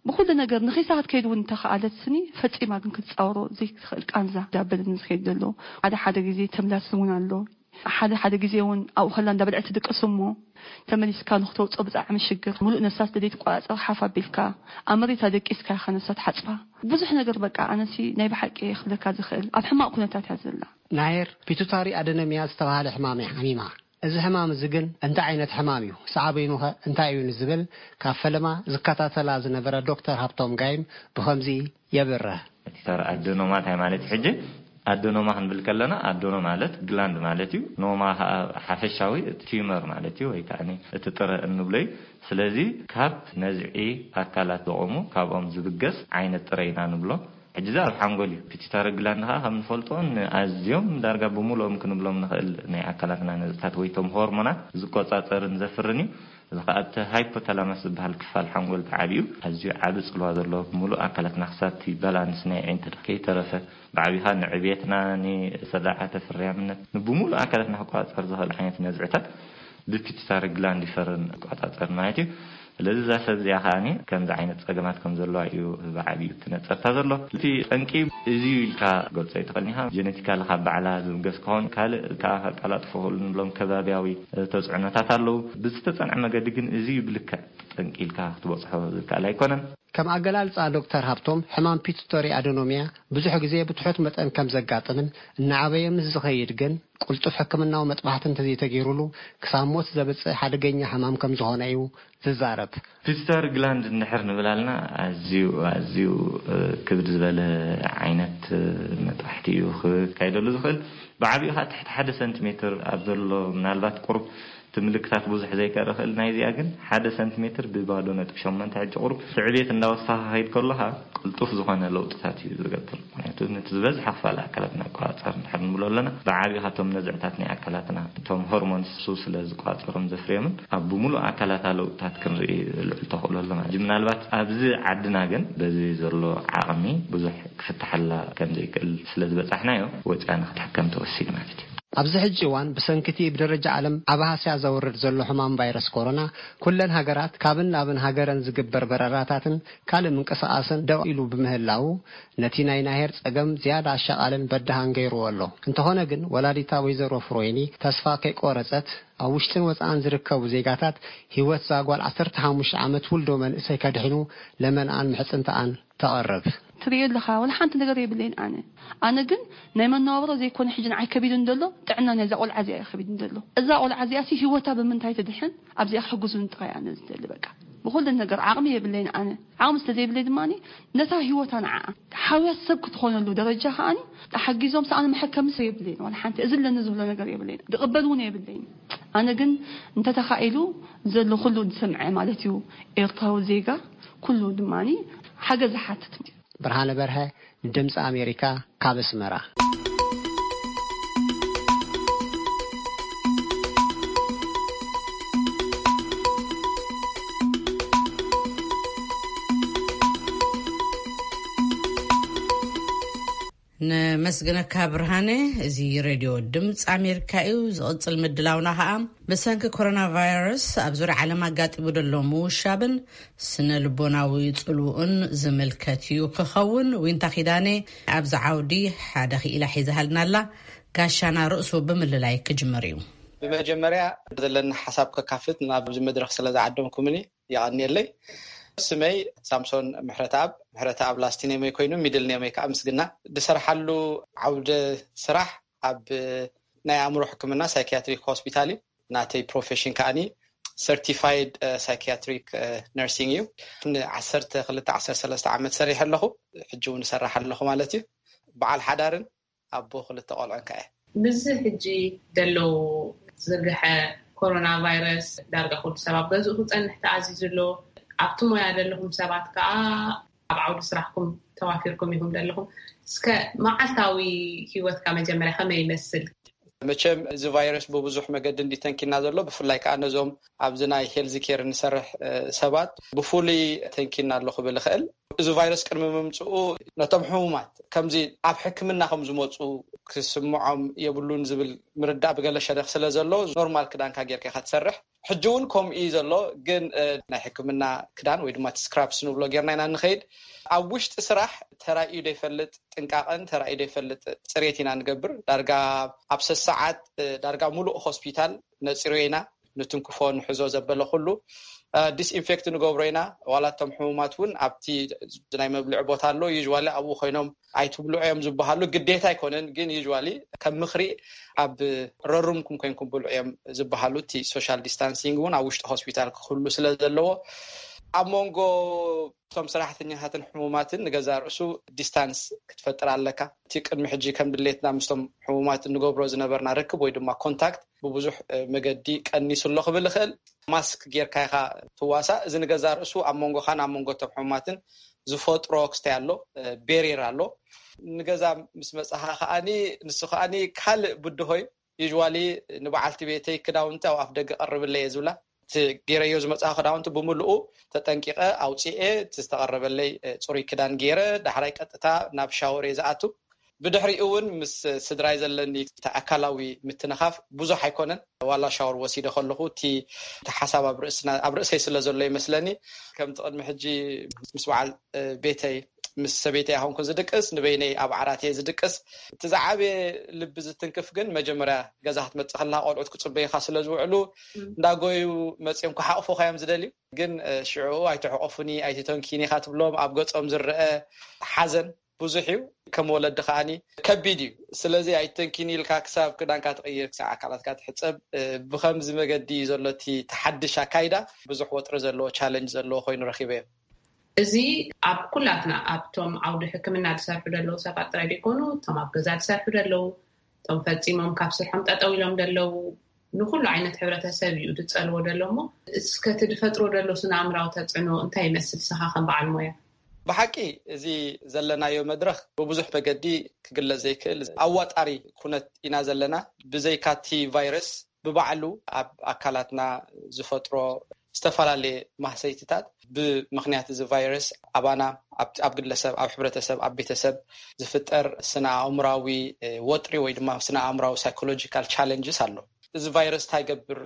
ብኹሉ ነገር ንኺሳ ክትከይድ እውን እንተኸኣለት ስኒ ፈጺማ ግን ክትጻወሮ ዘይትኽእል ቃንዛ ዳበለኒ ዝኸይድ ዘሎ። ሓደ ሓደ ግዜ ተምላስኒ እውን ኣሎ። ሓደ ሓደ ግዜ እውን ኣብኡ ከላ እንዳበልዐት ትድቅስ እሞ ተመሊስካ ንክተውፅኦ ብጣዕሚ ሽግር። ሙሉእ ነፍሳ ስለ ዘይትቆፃፀር ሓፍ ኣቢልካ ኣብ መሬት ኣደቂስካ ኢኻ ነፍሳ ትሓፅባ። ብዙሕ ነገር በቃ ኣነሲ ናይ ብሓቂ ክብለካ ዝኽእል ኣብ ሕማቕ ኩነታት እያ ዘላ። ናሄር ፒቱታሪ ኣደነሚያ ዝተባህለ ሕማም እያ ሓሚማ። እዚ ሕማም እዚ ግን እንታይ ዓይነት ሕማም እዩ? ሳዕቤኑኸ እንታይ እዩ ንዝብል ካብ ፈለማ ዝከታተላ ዝነበረ ዶክተር ሃብቶም ጋይም ብኸምዚ የብርህ። ፒቱታሪ ኣደኖማ እንታይ ማለት እዩ? ሕጂ ኣደኖማ ክንብል ከለና ኣደኖ ማለት ግላንድ ማለት እዩ። ኖማ ከዓ ሓፈሻዊ እቲ ቲዩመር ማለት እዩ፣ ወይ ከዓ እቲ ጥረ እንብሎ እዩ። ስለዚ ካብ ነዝዒ ኣካላት ዝቆሙ ካብኦም ዝብገስ ዓይነት ጥረ ኢና ንብሎ። ሕጂ እዚ ኣብ ሓንጎል እዩ። ፒቱታሪ ግላንድ ከዓ ከም ንፈልጦ ንኣዝዮም ዳርጋ ብምሉኦም ክንብሎም ንኽእል ናይ ኣካላትና ነዝዕታት ወይ ቶም ሆርሞናት ዝቆጻጸርን ዘፍርን እዩ። እዚ ከዓ እቲ ሃይፖታላማስ ዝበሃል ክፋል ሓንጎል ብዓቢኡ ኣዝዩ ዓቢ ጽልዋ ዘለዎ ብምሉእ ኣካላትና ክሳብ እቲ ባላንስ ናይ ኣዒንትና ከይተረፈ ብዓቢኻ ንዕብየትና፣ ንስርዓተ ፍርያምነት፣ ንብምሉእ ኣካላትና ክቆጻጸር ዝኽእል ዓይነት ነዝዕታት ብፒቱታሪ ግላንድ ይፈርን ይቆጻጸር ማለት እዩ። ስለዚ እዛ ሰብ እዚኣ ከዓኒ ከምዚ ዓይነት ጸገማት ከም ዘለዋ እዩ ብዓቢኡ ትነጸርታ ዘሎ። እቲ ጠንቂ እዚ እዩ ኢልካ ገልጾ ኣይትኽእልን ኢኻ። ጀነቲካሊ ካብ ባዕላ ዝብገስ ክኸውን፣ ካልእ ከዓ ከቀላጥፎ ክኽእሉ ንብሎም ከባብያዊ ተጽዕኖታት ኣለዉ። ብዝተጸንዐ መገዲ ግን እዚ እዩ ብልክዕ ጠንቂ ኢልካ ክትበጽሖ ዝከኣል ኣይኮነን። ከም ኣገላልጻ ዶክተር ሃብቶም፣ ሕማም ፒቱተሪ ኣደኖሚያ ብዙሕ ግዜ ብትሑት መጠን ከም ዘጋጥምን እናዓበየ ምስ ዝኸይድ ግን ቅልጡፍ ሕክምናዊ መጥባሕቲ እንተዘይተገይሩሉ ክሳብ ሞት ዘብጽእ ሓደገኛ ሕማም ከም ዝኾነ እዩ ዝዛረብ። ፒቱታሪ ግላንድ እንድሕር ንብል ኣልና ኣዝዩ ኣዝዩ ክብድ ዝበለ ዓይነት መጥባሕቲ እዩ ክካይደሉ ዝኽእል። ብዓቢኡ ከዓ ትሕቲ ሓደ ሰንቲሜትር ኣብ ዘሎ ምናልባት ቁሩብ እቲ ምልክታት ብዙሕ ዘይከርኢ ይኽእል። ናይዚኣ ግን ሓደ ሰንቲሜትር ብባዶ ነጥቢ ሸሞንተ ሕጂ ቁሩብ እቲ ዕብየት እንዳወሰኻ ከይድ ከሎ ከዓ ቅልጡፍ ዝኾነ ለውጥታት እዩ ዝገብር። ምክንያቱ ነቲ ዝበዝሐ ክፋል ኣካላትና ኣቆጻጸር እንድሕር ንብሎ ኣለና ብዓቢኡ ካብቶም ነዝዕታት ናይ ኣካላትና እቶም ሆርሞንስ እሱ ስለ ዝቆጻጸሮም ዘፍርዮምን ኣብ ብምሉእ ኣካላታ ለውጥታት ክንርኢ ልዑል ተኽእሎ ኣሎ ማለት እዩ። ምናልባት ኣብዚ ዓድና ግን በዚ ዘሎ ዓቕሚ ብዙሕ ክፍታሓላ ከም ዘይክእል ስለ ዝበጻሕናዮ ወጺኣ ንክትሕከም ተወሲኑ ማለት እዩ። ኣብዚ ሕጂ እዋን ብሰንኪ እቲ ብደረጃ ዓለም ዓቢ ሃስያ ዘውርድ ዘሎ ሕማም ቫይረስ ኮሮና ኩለን ሃገራት ካብን ናብን ሃገረን ዝግበር በረራታትን ካልእ ምንቅስቓስን ደው ኢሉ ብምህላዉ ነቲ ናይ ናሄር ጸገም ዝያዳ ኣሻቓልን በዳሃን ገይርዎ ኣሎ። እንተኾነ ግን ወላዲታ ወይዘሮ ፍሮይኒ ተስፋ ከይቆረጸት ኣብ ውሽጥን ወጻእን ዝርከቡ ዜጋታት ህይወት እዛ ጓል ዓሰርተ ሓሙሽተ ዓመት ውልዶ መንእሰይ ከድሕኑ ለመንኣን ምሕጽንተኣን ተቐርብ። ትርእዮ ኣለኻ ወላ ሓንቲ ነገር የብለይን ኣነ። ኣነ ግን ናይ መነባብሮ ዘይኮነ ሕጂ ንዓይ ከቢዱን ዘሎ ጥዕና ናይዛ ቆልዓ እዚኣ እዩ ከቢዱን ዘሎ። እዛ ቆልዓ እዚኣ ሲ ህይወታ ብምንታይ ትድሕን ኣብዚኣ ክሕግዙን ጥራይ ኣነ ዝደሊ በቃ። ብኹሉ ነገር ዓቕሚ የብለይን ኣነ። ዓቕሚ ስለ ዘይብለይ ድማ ነታ ህይወታ ንዓኣ ሓውያ ሰብ ክትኾነሉ ደረጃ ከኣኒ ተሓጊዞም ሰኣነ መሐከሚ ሰብ የብለይን ዋላ ሓንቲ። እዚ ኣለኒ ዝብሎ ነገር የብለይን። ድቕበል እውን የብለይን። ኣነ ግን እንተተኻኢሉ ዘሎ ኩሉ ዝሰምዐ ማለት እዩ ኤርትራዊ ዜጋ ኩሉ ድማ ሓገዝ ዝሓትት። ብርሃነ በርሀ ንድምፂ ኣሜሪካ ካብ ኣስመራ። ነመስግነካ ብርሃነ። እዚ ሬድዮ ድምፂ ኣሜሪካ እዩ። ዝቕፅል ምድላውና ከዓ ብሰንኪ ኮሮና ቫይረስ ኣብ ዙርያ ዓለም ኣጋጢሙ ዘሎ ምውሻብን ስነ ልቦናዊ ጽልውኡን ዝምልከት እዩ ክኸውን። ዊንታ ኪዳነ ኣብዚ ዓውዲ ሓደ ክኢላ ሒዛሃልና ኣላ። ጋሻና ርእሱ ብምልላይ ክጅምር እዩ። ብመጀመርያ ዘለኒ ሓሳብ ከካፍት ናብዚ መድረኽ ስለ ዝዓደምኩምኒ የቐንየለይ። ስመይ ሳምሶን ምሕረተኣብ፣ ምሕረተኣብ ላስት ኔመይ ኮይኑ ሚድል ኔመይ ከዓ ምስግና። ዝሰርሓሉ ዓውደ ስራሕ ኣብ ናይ ኣእምሮ ሕክምና ሳይኪያትሪክ ሆስፒታል እዩ። ናተይ ፕሮፌሽን ከዓኒ ሰርቲፋይድ ሳይኪያትሪክ ነርሲንግ እዩ። ንዓሰርተ ክልተ ዓሰርተ ሰለስተ ዓመት ሰሪሐ ኣለኹ። ሕጂ እውን እሰርሕ ኣለኹ ማለት እዩ። በዓል ሓዳርን ኣቦ ክልተ ቆልዑን ከኣ እየ። ምስዚ ሕጂ ዘሎ ዝርግሐ ኮሮና ቫይረስ ዳርጋ ኩሉ ሰብ ኣብ ገዝኡ ክጸንሕ ተኣዚዙ ኣሎ። ኣብቲ ሞያ ዘለኹም ሰባት ከኣ ኣብ ዓውዲ ስራሕኩም ተዋፊርኩም ኢኹም ዘለኹም። እስከ መዓልታዊ ሂወትካ መጀመርያ ከመይ ይመስል? መቸም እዚ ቫይረስ ብብዙሕ መገዲ እንዲ ተንኪና ዘሎ፣ ብፍላይ ከዓ ነዞም ኣብዚ ናይ ሄልዝ ኬር እንሰርሕ ሰባት ብፍሉይ ተንኪና ኣሎ ክብል እኽእል። እዚ ቫይረስ ቅድሚ ምምፅኡ ነቶም ሕሙማት ከምዚ ኣብ ሕክምና ከም ዝመፁ ክስምዖም የብሉን ዝብል ምርዳእ ብገለ ሸነኽ ስለ ዘሎ ኖርማል ክዳንካ ጌርካ ኢኻ ትሰርሕ። ሕጂ እውን ከምኡ እዩ ዘሎ። ግን ናይ ሕክምና ክዳን ወይ ድማ እቲ ስክራፕስ ንብሎ ጌርና ኢና ንኸይድ። ኣብ ውሽጢ ስራሕ ተራእዩ ዘይፈልጥ ጥንቃቐን ተራእዩ ዘይፈልጥ ፅሬት ኢና ንገብር። ዳርጋ ኣብ ሰሰዓት ዳርጋ ሙሉእ ሆስፒታል ነፂሮ ኢና። ንትንክፎ ንሕዞ ዘበለ ኩሉ ዲስኢንፌክት ንገብሮ ኢና። ዋላ እቶም ሕሙማት እውን ኣብቲ ናይ መብልዒ ቦታ ኣሎ፣ ዩዋሊ ኣብኡ ኮይኖም ኣይትብልዑ እዮም ዝበሃሉ። ግዴታ ኣይኮነን፣ ግን ዩዋሊ ከም ምክሪ ኣብ ረሩምኩም ኮይንኩም ብልዑ እዮም ዝበሃሉ። እቲ ሶሻል ዲስታንሲንግ እውን ኣብ ውሽጢ ሆስፒታል ክህሉ ስለ ዘለዎ ኣብ መንጎ እቶም ሰራሕተኛታትን ሕሙማትን ንገዛ ርእሱ ዲስታንስ ክትፈጥር ኣለካ። እቲ ቅድሚ ሕጂ ከም ድሌትና ምስቶም ሕሙማት እንገብሮ ዝነበርና ርክብ ወይ ድማ ኮንታክት ብብዙሕ መገዲ ቀኒሱ ኣሎ ክብል ይኽእል። ማስክ ጌርካ ኢኻ ትዋሳእ። እዚ ንገዛ ርእሱ ኣብ መንጎኻን ኣብ መንጎ እቶም ሕሙማትን ዝፈጥሮ ክስታይ ኣሎ፣ ቤሪር ኣሎ። ንገዛ ምስ መጻኻ ከኣኒ ንሱ ከኣኒ ካልእ ብድሆይ ዩዋሊ ንበዓልቲ ቤተይ ክዳውንቲ ኣብ ኣፍ ደገ ቀርብለየ ዝብላ። እቲ ገይረዮ ዝመፅኣ ክዳውንቲ ብምልኡ ተጠንቂቐ ኣውፅኤ፣ እቲ ዝተቐረበለይ ፅሩይ ክዳን ገይረ ዳሕራይ ቀጥታ ናብ ሻወር እየ ዝኣቱ። ብድሕሪኡ እውን ምስ ስድራይ ዘለኒ ኣካላዊ ምትንኻፍ ብዙሕ ኣይኮነን። ዋላ ሻወር ወሲደ ከለኹ እቲ ሓሳብ ኣብ ርእሰይ ስለ ዘሎ ይመስለኒ። ከምቲ ቅድሚ ሕጂ ምስ በዓል ቤተይ ምስ ሰበይተይ ኣይኮንኩን ዝድቅስ፣ ንበይነይ ኣብ ዓራት እየ ዝድቅስ። እቲ ዝዓበየ ልቢ ዝትንክፍ ግን መጀመርያ ገዛ ክትመፅእ ከለካ ቆልዑት ክፅበዩካ ስለ ዝውዕሉ እንዳጎዩ መፅዮም ክሓቕፉካ እዮም ዝደልዩ። ግን ሽዑ ኣይትሕቆፉኒ ኣይትተንኪኒ ኢካ ትብሎም። ኣብ ገፆም ዝረአ ሓዘን ብዙሕ እዩ። ከም ወለዲ ከዓኒ ከቢድ እዩ። ስለዚ ኣይትተንኪኒ ኢልካ ክሳብ ክዳንካ ትቕይር ክሳብ ኣካላትካ ትሕፀብ ብከምዚ መገዲ እዩ ዘሎ እቲ ተሓድሽ ኣካይዳ። ብዙሕ ወጥሪ ዘለዎ ቻለንጅ ዘለዎ ኮይኑ ረኪበዮ። እዚ ኣብ ኩላትና ኣብቶም ዓውዲ ሕክምና ዝሰርሑ ዘለዉ ሰባት ጥራይ ዘይኮኑ እቶም ኣብ ገዛ ዝሰርሑ ዘለዉ እቶም ፈፂሞም ካብ ስርሖም ጠጠው ኢሎም ዘለዉ ንኩሉ ዓይነት ሕብረተሰብ እዩ ዝፀልዎ ዘሎ እሞ እስከ እቲ ዝፈጥሮ ዘሎ ስነ ኣእምራዊ ተፅዕኖ እንታይ ይመስል ንስኻ ከም በዓል ሞያ? ብሓቂ እዚ ዘለናዮ መድረኽ ብብዙሕ መገዲ ክግለፅ ዘይክእል ኣዋጣሪ ኩነት ኢና ዘለና። ብዘይካ እቲ ቫይረስ ብባዕሉ ኣብ ኣካላትና ዝፈጥሮ ዝተፈላለየ ማህሰይትታት ብምኽንያት እዚ ቫይረስ ኣባና ኣብ ግለሰብ ኣብ ሕብረተሰብ ኣብ ቤተሰብ ዝፍጠር ስነ ኣእምራዊ ወጥሪ ወይ ድማ ስነ ኣእምራዊ ሳይኮሎጂካል ቻለንጅስ ኣሎ። እዚ ቫይረስ እንታይ ይገብር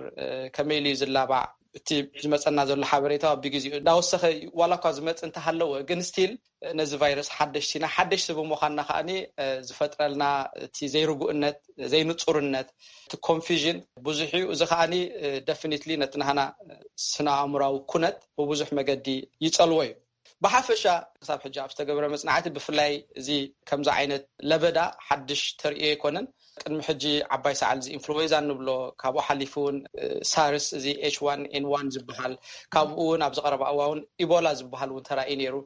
ከመይ ኢሉ እዩ ዝላባዕ እቲ ዝመፀና ዘሎ ሓበሬታ ብግዜኡ እንዳወሰኸ ዋላ እኳ ዝመፅ እንተሃለወ ግን ስቲል ነዚ ቫይረስ ሓደሽቲ ኢና። ሓደሽቲ ብምዃንና ከዓኒ ዝፈጥረልና እቲ ዘይርጉእነት ዘይንፁርነት እቲ ኮንፊዥን ብዙሕ እዩ። እዚ ከዓኒ ደፍኒትሊ ነቲ ናህና ስነ ኣእምራዊ ኩነት ብብዙሕ መገዲ ይፀልዎ እዩ። ብሓፈሻ ክሳብ ሕጂ ኣብ ዝተገብረ መፅናዕቲ ብፍላይ እዚ ከምዚ ዓይነት ለበዳ ሓድሽ ተርእዮ ኣይኮነን። ቅድሚ ሕጂ ዓባይ ሰዓል እዚ ኢንፍሉዌንዛ እንብሎ ካብኡ ሓሊፉ እውን ሳርስ እዚ ኤች ዋን ኤን ዋን ዝበሃል ካብኡ እውን ኣብዚ ቀረባ እዋን እውን ኢቦላ ዝበሃል እውን ተራእዩ ነይሩ።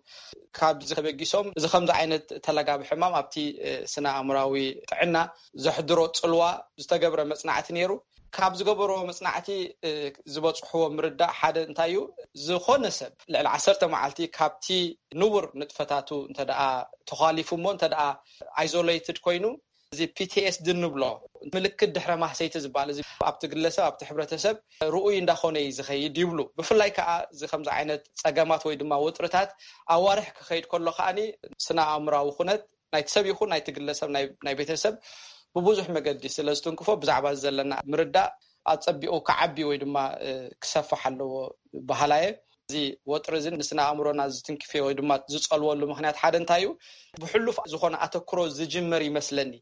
ካብዚ ተበጊሶም እዚ ከምዚ ዓይነት ተለጋቢ ሕማም ኣብቲ ስነ ኣእምራዊ ጥዕና ዘሕድሮ ፅልዋ ዝተገብረ መፅናዕቲ ነይሩ። ካብ ዝገበርዎ መፅናዕቲ ዝበፅሕዎ ምርዳእ ሓደ እንታይ እዩ? ዝኾነ ሰብ ልዕሊ ዓሰርተ መዓልቲ ካብቲ ንቡር ንጥፈታቱ እንተደኣ ተዃሊፉ እሞ እንተደኣ ኣይዞሌትድ ኮይኑ እዚ ፒቲኤስዲ እንብሎ ምልክት ድሕረ ማህሰይቲ ዝበሃል እዚ ኣብቲ ግለሰብ ኣብቲ ሕብረተሰብ ርኡይ እንዳኾነ እዩ ዝኸይድ ይብሉ። ብፍላይ ከዓ እዚ ከምዚ ዓይነት ፀገማት ወይ ድማ ወጥርታት ኣዋርሕ ክኸይድ ከሎ ከዓኒ ስነ ኣእምራዊ ኩነት ናይቲ ሰብ ይኹን ናይቲ ግለሰብ ናይ ቤተሰብ ብብዙሕ መገዲ ስለ ዝትንክፎ ብዛዕባ ዘለና ምርዳእ ኣፀቢቑ ክዓቢ ወይ ድማ ክሰፍሕ ኣለዎ በሃላየ። እዚ ወጥሪ እዚ ንስነ ኣእምሮና ዝትንክፍዮ ወይ ድማ ዝፀልወሉ ምክንያት ሓደ እንታይ እዩ? ብሕሉፍ ዝኾነ ኣተክሮ ዝጅመር ይመስለኒ።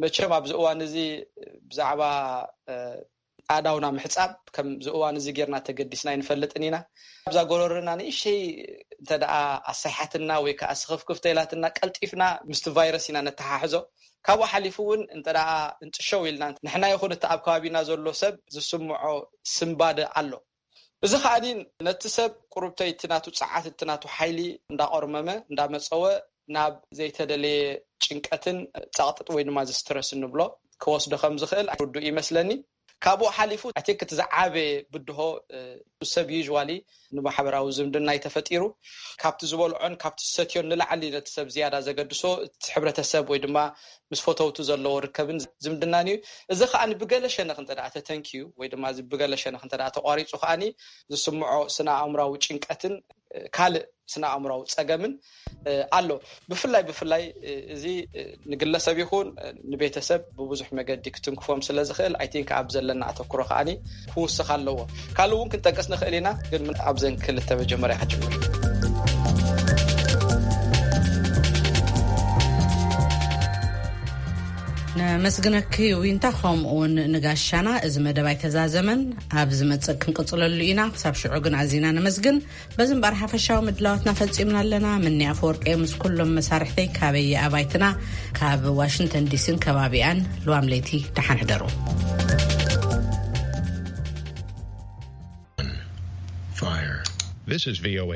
መቸም ኣብዚ እዋን እዚ ብዛዕባ ኣእዳውና ምሕፃብ ከምዚ እዋን እዚ ጌርና ተገዲስና ኣይንፈልጥን ኢና። ኣብዛ ጎረርና ንእሽተይ እንተ ደኣ ኣሳይሓትና ወይ ከዓ ስኽፍክፍ ተኢላትና ቀልጢፍና ምስቲ ቫይረስ ኢና ነተሓሕዞ። ካብኡ ሓሊፉ እውን እንተ ደኣ እንጥሸው ኢልና ንሕና ይኹን እቲ ኣብ ከባቢና ዘሎ ሰብ ዝስምዖ ስንባደ ኣሎ። እዚ ከዓኒ ነቲ ሰብ ቁሩብተይ እቲ ናቱ ጸዓት እቲ ናቱ ሓይሊ እንዳቆርመመ እንዳመጸወ ናብ ዘይተደለየ ጭንቀትን ጸቕጥጥ ወይ ድማ ዝስትረስ እንብሎ ክወስዶ ከም ዝኽእል ርዱእ ይመስለኒ። ካብኡ ሓሊፉ ኣይ ቲንክ እቲ ዝዓበየ ብድሆ ሰብ ዩዥዋሊ ንማሕበራዊ ዝምድና እዩ ተፈጢሩ። ካብቲ ዝበልዖን ካብቲ ዝሰትዮን ንላዕሊ ነቲ ሰብ ዝያዳ ዘገድሶ እቲ ሕብረተሰብ ወይ ድማ ምስ ፈተውቱ ዘለዎ ርከብን ዝምድናን እዩ። እዚ ከዓኒ ብገለ ሸነኽ እንተ ደኣ ተተንኪዩ ወይ ድማ እዚ ብገለ ሸነኽ እንተ ደኣ ተቋሪፁ ከዓኒ ዝስምዖ ስነ ኣእምራዊ ጭንቀትን ካልእ ስነ ኣእምራዊ ጸገምን ኣሎ። ብፍላይ ብፍላይ እዚ ንግለሰብ ይኹን ንቤተሰብ ብብዙሕ መገዲ ክትንክፎም ስለ ዝኽእል፣ ኣይ ቲንክ ኣብ ዘለና ኣተኩሮ ከዓኒ ክውስኽ ኣለዎ። ካልእ እውን ክንጠቅስ ንኽእል ኢና፣ ግን ኣብዘን ክልተ መጀመርያ ክጅምር። ነመስግነኪ ዊንታ፣ ከምኡውን ንጋሻና። እዚ መደብ ኣይተዛዘመን፣ ኣብ ዝመጽእ ክንቅጽለሉ ኢና። ክሳብ ሽዑ ግን ኣዚና ነመስግን። በዚ እምበኣር ሓፈሻዊ ምድላዋትና ፈጺምና ኣለና። ምኒ ኣፈወርቂ ምስ ኩሎም መሳርሕተይ ካበይ ኣባይትና ካብ ዋሽንግተን ዲሲን ከባቢኣን፣ ልዋም ለይቲ ደሓን ሕደሩ። Fire. This is V O A